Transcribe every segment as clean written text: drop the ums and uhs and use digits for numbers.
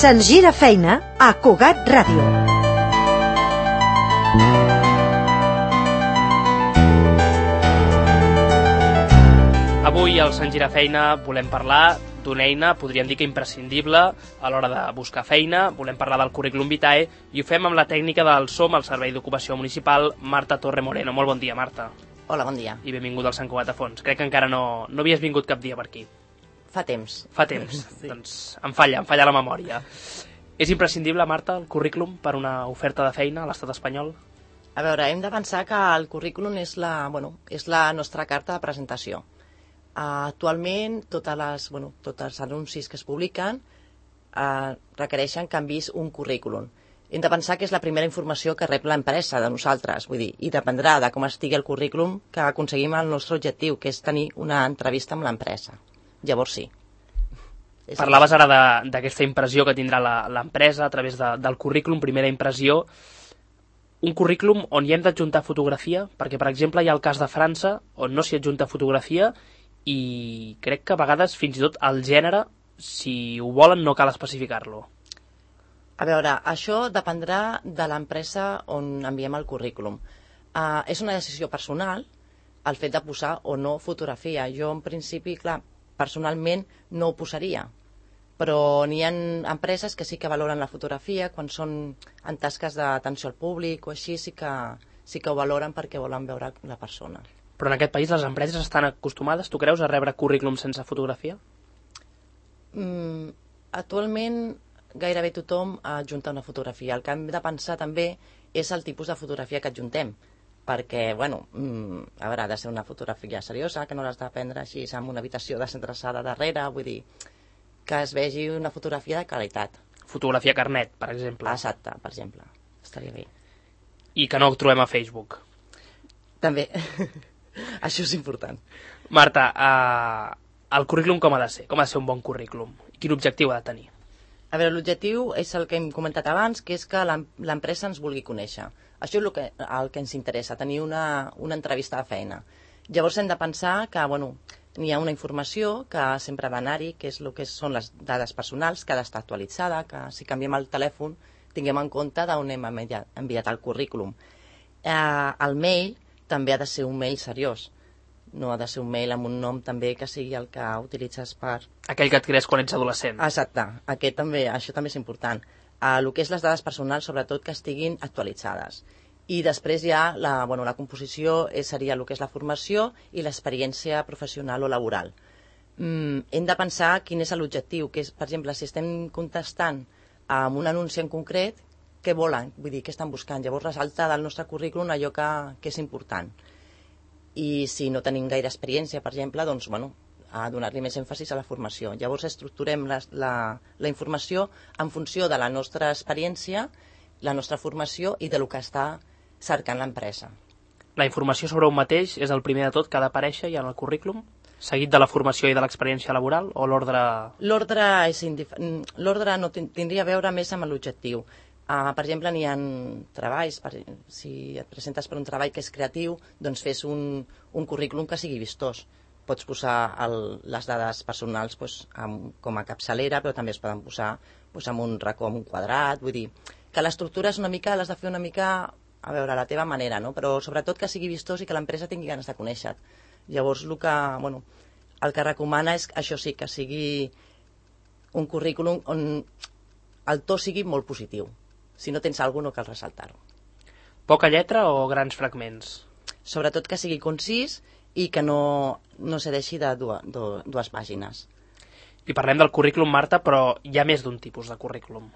Se'ns gira feina a Cugat Ràdio. Avui al Se'ns gira feina volem parlar d'una eina, podríem dir que imprescindible a l'hora de buscar feina. Volem parlar del currículum vitae i ho fem amb la tècnica del SOM, el Servei d'Ocupació Municipal, Marta Torre Moreno. Molt bon dia, Marta. Hola, bon dia. I benvingut al Sant Cugat a Fons. Crec que encara no havies vingut cap dia per aquí. Fa temps. Fa temps. Sí. Doncs em falla la memòria. És imprescindible, Marta, el currículum per una oferta de feina a l'estat espanyol? A veure, hem de pensar que el currículum és la nostra carta de presentació. Actualment, tots els anuncis que es publiquen requereixen que enviïs un currículum. Hem de pensar que és la primera informació que rep l'empresa de nosaltres, vull dir, i dependrà de com estigui el currículum que aconseguim el nostre objectiu, que és tenir una entrevista amb l'empresa. Llavors sí. Parlaves ara d'aquesta impressió que tindrà l'empresa a través del currículum, primera impressió. Un currículum on hi hem d'adjuntar fotografia, perquè, per exemple, hi ha el cas de França, on no s'hi adjunta fotografia, i crec que a vegades fins i tot el gènere, si ho volen, no cal especificar-lo. A veure, això dependrà de l'empresa on enviem el currículum. És una decisió personal el fet de posar o no fotografia. Jo, en principi, clar, personalment no ho posaria, però n'hi ha empreses que sí que valoren la fotografia quan són en tasques d'atenció al públic o així, sí que ho valoren perquè volen veure la persona. Però en aquest país les empreses estan acostumades, tu creus, a rebre currículum sense fotografia? Actualment gairebé tothom adjunta una fotografia. El que hem de pensar també és el tipus de fotografia que adjuntem, perquè, a veure, ha de ser una fotografia seriosa, que no l'has de prendre així en una habitació desendreçada darrere, vull dir, que es vegi una fotografia de qualitat. Fotografia carnet, per exemple. Exacte, per exemple. Estaria bé. I que no ho trobem a Facebook. També. Això és important. Marta, el currículum com ha de ser? Com ha de ser un bon currículum? Quin objectiu ha de tenir? A veure, l'objectiu és el que hem comentat abans, que és que l'empresa ens vulgui conèixer. Això és el que ens interessa, tenir una entrevista de feina. Llavors hem de pensar que, n'hi ha una informació que sempre ha d'anar-hi, que és el que són les dades personals, que ha d'estar actualitzada, que si canviem el telèfon tinguem en compte d'on hem enviat el currículum. El mail també ha de ser un mail seriós. No ha de ser un mail amb un nom també que sigui el que utilitzes per... Aquell que et crees quan ets adolescent. Exacte, això també és important. El que és les dades personals, sobretot que estiguin actualitzades. I després ja la composició seria el que és la formació i l'experiència professional o laboral. Hem de pensar quin és l'objectiu, que és, per exemple, si estem contestant amb un anunci en concret, què volen? Vull dir, què estan buscant? Llavors ressalta del nostre currículum allò que és important. I si no tenim gaire experiència, per exemple, doncs, a donar-li més èmfasis a la formació. Llavors estructurem la informació en funció de la nostra experiència, la nostra formació i del que està cercant l'empresa. La informació sobre un mateix és el primer de tot que ha d'aparèixer ja en el currículum, seguit de la formació i de l'experiència laboral, o l'ordre... L'ordre no tindria a veure més amb l'objectiu. Per exemple, n'hi ha treballs, si et presentes per un treball que és creatiu, doncs fes un currículum que sigui vistós. Pots posar les dades personals com a capçalera, però també es poden posar amb un racó, amb un quadrat, vull dir que l'estructura és l'has de fer una mica a veure, a la teva manera, no? Però sobretot que sigui vistós i que l'empresa tingui ganes de conèixer. Llavors el que recomana és això sí, que sigui un currículum on el to sigui molt positiu. Si no tens alguna cosa no cal ressaltar-ho. Poca lletra o grans fragments? Sobretot que sigui concís i que no cedeixi de dues pàgines. I parlem del currículum, Marta, però hi ha més d'un tipus de currículum.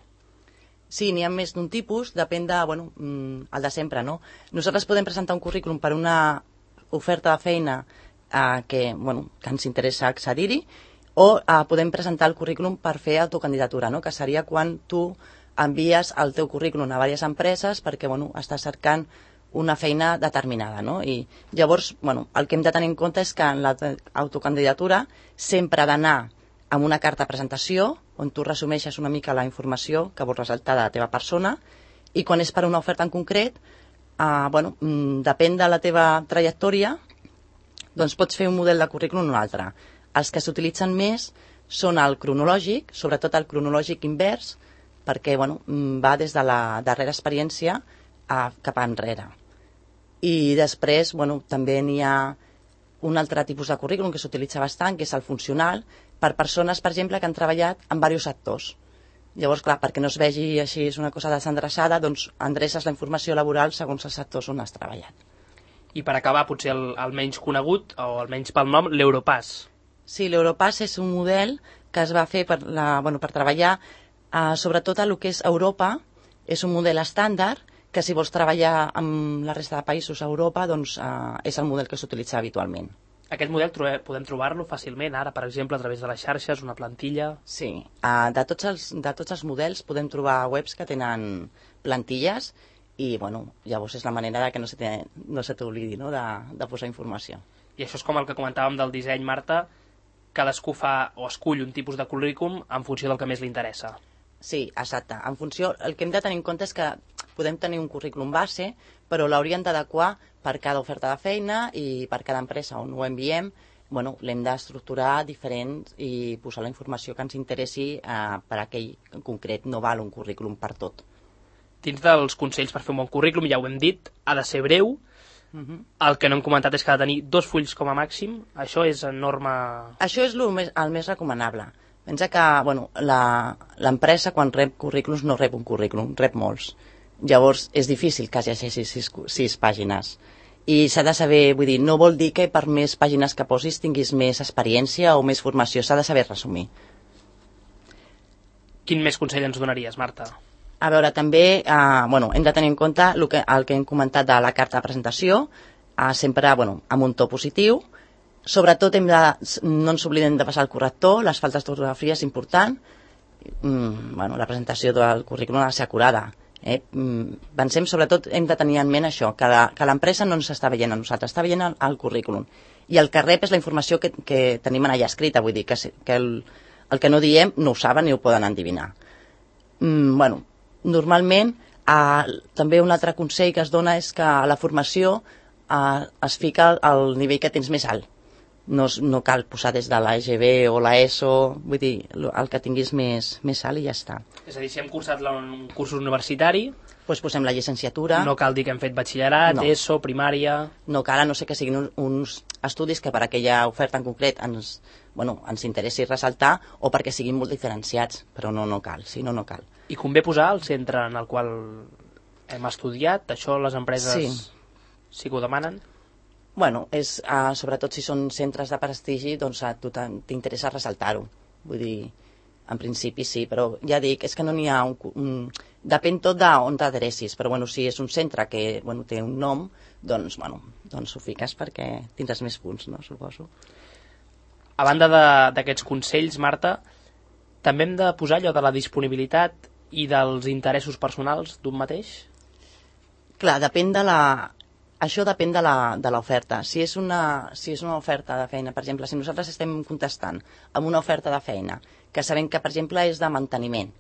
Sí, n'hi ha més d'un tipus, depèn de, el de sempre, no? Nosaltres podem presentar un currículum per una oferta de feina que ens interessa accedir-hi, o podem presentar el currículum per fer autocandidatura, no? Que seria quan tu envies el teu currículum a diverses empreses perquè estàs cercant una feina determinada, no? I llavors, el que hem de tenir en compte és que en l'autocandidatura sempre ha d'anar amb una carta de presentació on tu resumeixes una mica la informació que vols ressaltar de la teva persona, i quan és per una oferta en concret, depèn de la teva trajectòria, doncs pots fer un model de currículum o un altre. Els que s'utilitzen més són el cronològic, sobretot el cronològic invers, perquè va des de la darrera experiència cap enrere. I després també n'hi ha un altre tipus de currículum que s'utilitza bastant, que és el funcional, per persones, per exemple, que han treballat en diversos sectors. Llavors, clar, perquè no es vegi així, és una cosa desendreçada, doncs endreces la informació laboral segons els sectors on has treballat. I per acabar, potser el menys conegut, o almenys pel nom, l'Europass. Sí, l'Europass és un model que es va fer per treballar sobretot a el que és Europa. És un model estàndard que si vols treballar amb la resta de països a Europa, doncs és el model que s'utilitza habitualment. Aquest model podem trobar-lo fàcilment ara, per exemple, a través de les xarxes, una plantilla... Sí, de tots els models podem trobar webs que tenen plantilles i llavors és la manera de que no se t'oblidi de posar informació. I això és com el que comentàvem del disseny, Marta, cadascú fa o escull un tipus de currículum en funció del que més li interessa. Sí, exacte. En funció, el que hem de tenir en compte és que podem tenir un currículum base, però l'hauríem d'adequar per cada oferta de feina i per cada empresa on ho enviem. L'hem d'estructurar diferent i posar la informació que ens interessi per a aquell en concret. No val un currículum per tot. Dins dels consells per fer un bon currículum, ja ho hem dit, ha de ser breu. El que no hem comentat és que ha de tenir 2 fulls com a màxim. Això és norma... Això és el més recomanable. Pensa que l'empresa quan rep currículums no rep un currículum, rep molts. Llavors és difícil que llegeixi 6 pàgines. I s'ha de saber, vull dir, no vol dir que per més pàgines que posis tinguis més experiència o més formació, s'ha de saber resumir. Quin més consell ens donaries, Marta? A veure, també hem de tenir en compte el que hem comentat de la carta de presentació, sempre amb un to positiu. Sobretot no ens oblidem de passar el corrector, les faltes d'ortografia és important. La presentació del currículum ha de ser acurada. Pensem, sobretot, hem de tenir en ment això, que l'empresa no ens està veient a nosaltres, està veient el currículum. I el que rep és la informació que tenim allà escrita, vull dir que el que no diem no ho saben ni ho poden endevinar. Normalment, també un altre consell que es dona és que a la formació es fica al nivell que tens més alt. No cal posar des de l'EGB o l'ESO, vull dir, el que tinguis més alt i ja està. És a dir, si hem cursat un curs universitari... Doncs posem la llicenciatura. No cal dir que hem fet batxillerat, ESO, primària... No cal, a no ser que siguin uns estudis que per aquella oferta en concret ens interessi ressaltar o perquè siguin molt diferenciats, però no cal, si no cal. I convé posar el centre en el qual hem estudiat, això les empreses sí que ho demanen? Sobretot si són centres de prestigi, doncs a tu t'interessa ressaltar-ho. Vull dir, en principi sí, però ja dic, és que no n'hi ha depèn tot d'on t'adrecis, però si és un centre que té un nom, doncs ho fiques perquè tindràs més punts, no? Suposo. A banda d'aquests consells, Marta, també hem de posar allò de la disponibilitat i dels interessos personals d'un mateix? Clar, això depèn de l'oferta. Si és una oferta de feina, per exemple, si nosaltres estem contestant amb una oferta de feina que sabem que, per exemple, és de manteniment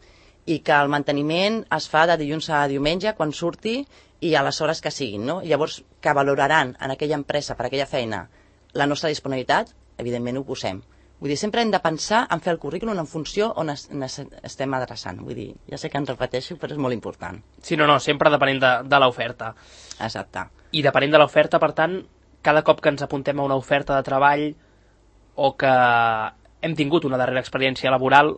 i que el manteniment es fa de dilluns a diumenge quan surti i a les hores que siguin, no? Llavors, que valoraran en aquella empresa per aquella feina la nostra disponibilitat, evidentment ho posem. Vull dir, sempre hem de pensar en fer el currículum en funció on estem adreçant. Vull dir, ja sé que em repeteixo, però és molt important. Sí, no, sempre depenent de l'oferta. Exacte. I depenent de l'oferta, per tant, cada cop que ens apuntem a una oferta de treball o que hem tingut una darrera experiència laboral,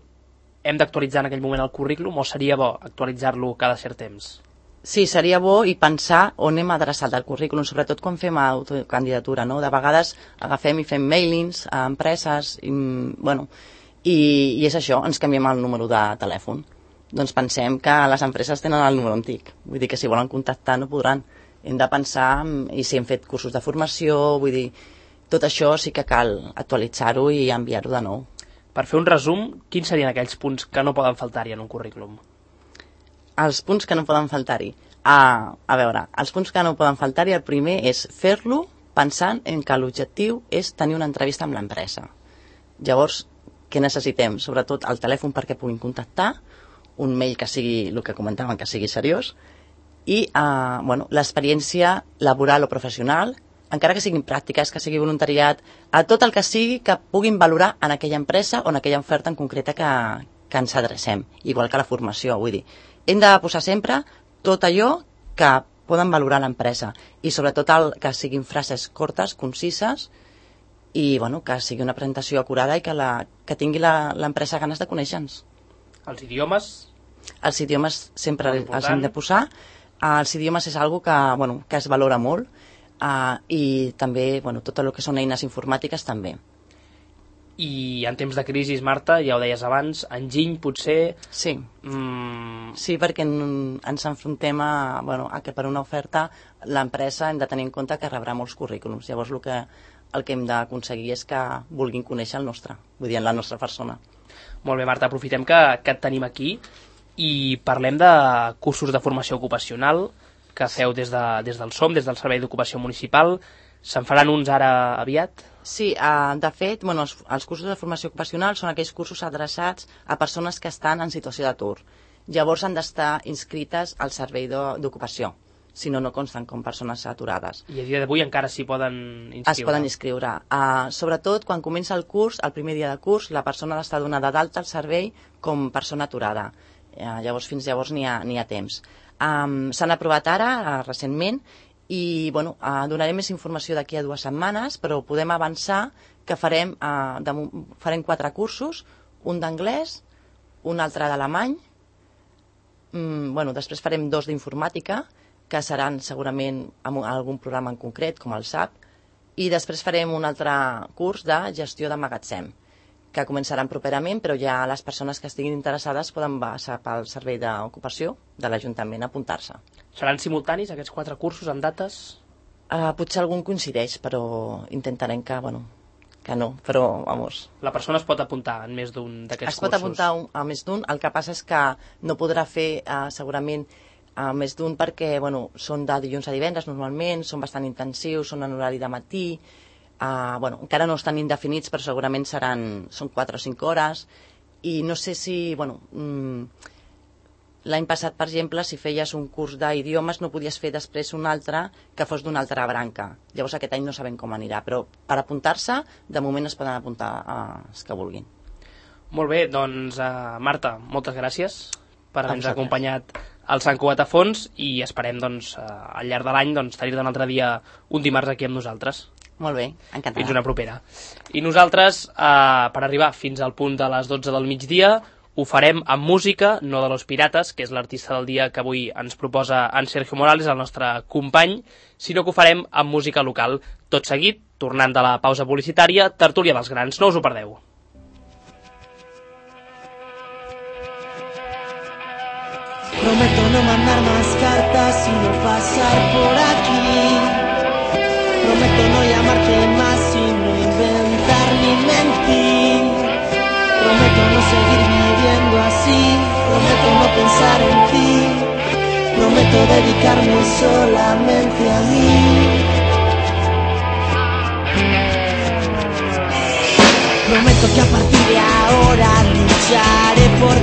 hem d'actualitzar en aquell moment el currículum o seria bo actualitzar-lo cada cert temps? Sí, seria bo i pensar on hem adreçat el currículum, sobretot quan fem autocandidatura, no? De vegades agafem i fem mailings a empreses, i és això, ens canviem el número de telèfon. Doncs pensem que les empreses tenen el número antic, vull dir que si volen contactar no podran. Hem de pensar, i si hem fet cursos de formació, vull dir, tot això sí que cal actualitzar-ho i enviar-ho de nou. Per fer un resum, quins serien aquells punts que no poden faltar-hi en un currículum? Els punts que no poden faltar-hi. A veure, els punts que no poden faltar-hi, el primer és fer-lo pensant en que l'objectiu és tenir una entrevista amb l'empresa. Llavors, què necessitem? Sobretot el telèfon perquè puguin contactar, un mail que sigui, el que comentàvem, que sigui seriós, i l'experiència laboral o professional, encara que siguin pràctiques, que sigui voluntariat, a tot el que sigui que puguin valorar en aquella empresa o en aquella oferta en concreta que ens adrecem, igual que la formació, vull dir. Hem de posar sempre tot allò que poden valorar l'empresa i sobretot que siguin frases cortes, concises i bueno, que sigui una presentació acurada i que tingui l'empresa ganes de conèixer-nos. Els idiomes? Els idiomes sempre els hem de posar. Els idiomes és algo que es valora molt i també tot el que són eines informàtiques també. I en temps de crisi, Marta, ja ho deies abans, enginy potser... Sí, sí, perquè ens enfrontem a que per una oferta l'empresa hem de tenir en compte que rebrà molts currículums. Llavors el que hem d'aconseguir és que vulguin conèixer el nostre, vull dir, la nostra persona. Molt bé, Marta, aprofitem que et tenim aquí i parlem de cursos de formació ocupacional que feu des del SOM, des del Servei d'Ocupació Municipal. Se'n faran uns ara aviat? Sí, de fet, els cursos de formació ocupacional són aquells cursos adreçats a persones que estan en situació d'atur. Llavors han d'estar inscrites al Servei d'Ocupació, si no consten com persones aturades. I a dia d'avui encara s'hi poden inscriure? Es poden inscriure. Sobretot, quan comença el curs, el primer dia de curs, la persona ha d'estar donada d'alta al servei com persona aturada. Llavors, fins llavors n'hi ha temps. S'han aprovat ara, recentment, i donaré més informació d'aquí a 2 setmanes, però podem avançar que farem 4 cursos, un d'anglès, un altre d'alemany, després farem 2 d'informàtica, que seran segurament amb algun programa en concret, com el SAP, i després farem un altre curs de gestió de magatzem, que començaran properament, però ja les persones que estiguin interessades poden passar pel Servei d'Ocupació de l'Ajuntament a apuntar-se. Seran simultanis aquests 4 cursos en dates? Potser algun coincideix, però intentarem que no, però vamos. La persona es pot apuntar en més d'un d'aquests cursos? Es pot apuntar a més d'un, el que passa és que no podrà fer segurament més d'un perquè són de dilluns a divendres normalment, són bastant intensius, són en horari de matí, encara no estan indefinits, però segurament són 4 o 5 hores, i no sé si, l'any passat, per exemple, si feies un curs d'idiomes no podies fer després un altre que fos d'una altra branca. Llavors aquest any no sabem com anirà, però per apuntar-se, de moment es poden apuntar els que vulguin. Molt bé, doncs Marta, moltes gràcies per haver-nos acompanyat al Sant Cugat a Fons i esperem al llarg de l'any tenir-te un altre dia, un dimarts aquí amb nosaltres. Molt bé, encantada. Fins una propera. I nosaltres, per arribar fins al punt de les 12 del migdia, ho farem amb música, no de Los Pirates, que és l'artista del dia que avui ens proposa en Sergio Morales, el nostre company, sinó que ho farem amb música local. Tot seguit, tornant de la pausa publicitària, Tertúlia dels Grans. No us ho perdeu. Prometo no mandar más cartas y no pasar por aquí. Prometo no llamarte más y no inventar ni mentir. Prometo no seguir viviendo así. Prometo no pensar en ti. Prometo dedicarme solamente a mí. Prometo que a partir de ahora lucharé por